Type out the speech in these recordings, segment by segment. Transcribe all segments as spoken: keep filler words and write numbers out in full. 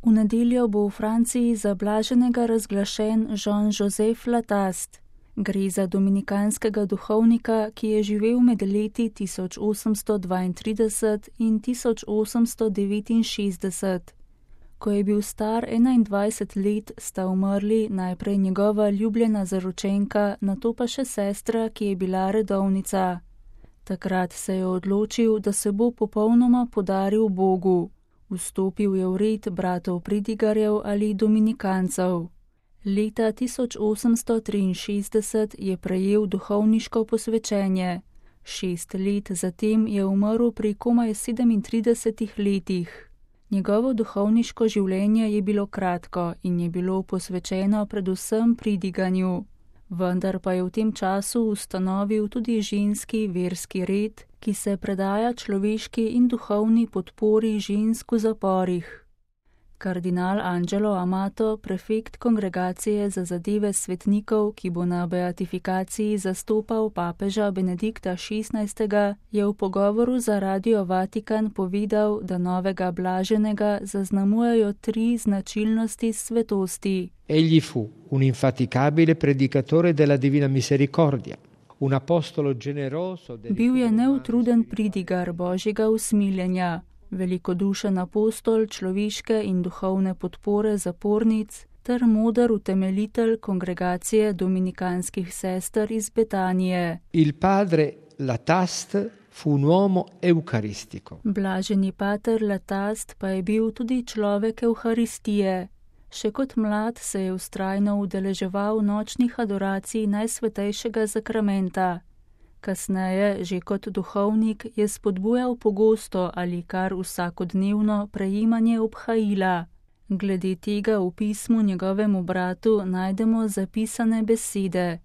V nedeljo bo v Franciji za blaženega razglašen Jean-Joseph Lataste. Gre za dominikanskega duhovnika, ki je živel med leti tisoč osemsto dvaintrideset in tisoč osemsto devetinšestdeset. Ko je bil star enaindvajset let, sta umrli najprej njegova ljubljena zaročenka, nato pa še sestra, ki je bila redovnica. Takrat se je odločil, da se bo popolnoma podaril Bogu. Vstopil je v red bratov Pridigarjev ali dominikancev. Leta tisoč osemsto triinšestdeset je prejel duhovniško posvečenje. Šest let zatem je umrl pri komaj sedemintridesetih letih. Njegovo duhovniško življenje je bilo kratko in je bilo posvečeno predvsem pridiganju. Vendar pa je v tem času ustanovil tudi ženski verski red, ki se predaja človeški in duhovni podpori žensk v zaporih. Kardinal Angelo Amato, prefekt Kongregacije za zadeve svetnikov, ki bo na beatifikaciji zastopal papeža Benedikta šestnajstega, je v pogovoru za Radio Vatikan povedal, da novega blaženega zaznamujejo tri značilnosti svetosti. Egli fu un infaticabile predicatore della divina misericordia. Un apostolo generoso. Bil je neutruden pridigar Božjega usmiljenja. Velikodušen apostol človeške in duhovne podpore zapornic ter moder utemeljitelj kongregacije dominikanskih sester iz Betanije. Il padre Lataste fu un uomo eucaristico. Blaženi pater Lataste pa je bil tudi človek Evharistije. Še kot mlad se je vztrajno udeleževal nočnih adoracij Najsvetejšega zakramenta. Kasneje, že kot duhovnik, je spodbujal pogosto ali kar vsakodnevno prejemanje obhajila. Glede tega v pismu njegovemu bratu najdemo zapisane besede.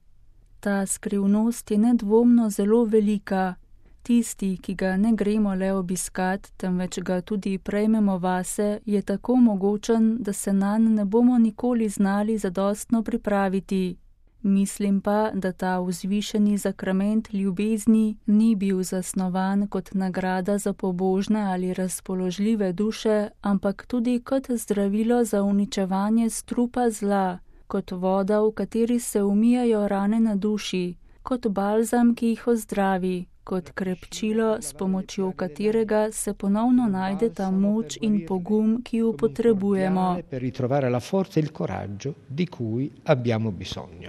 Ta skrivnost je nedvomno zelo velika. Tisti, ki ga ne gremo le obiskat, temveč ga tudi prejmemo vase, je tako mogočen, da se nanj ne bomo nikoli znali zadostno pripraviti. Mislim pa, da ta vzvišeni zakrament ljubezni ni bil zasnovan kot nagrada za pobožne ali razpoložljive duše, ampak tudi kot zdravilo za uničevanje strupa zla, kot voda, v kateri se umijajo rane na duši, kot balzam, ki jih ozdravi, kot krepčilo, s pomočjo katerega se ponovno najde ta moč in pogum, ki jo potrebujemo. Per ritrovare la forza e il coraggio di cui abbiamo bisogno.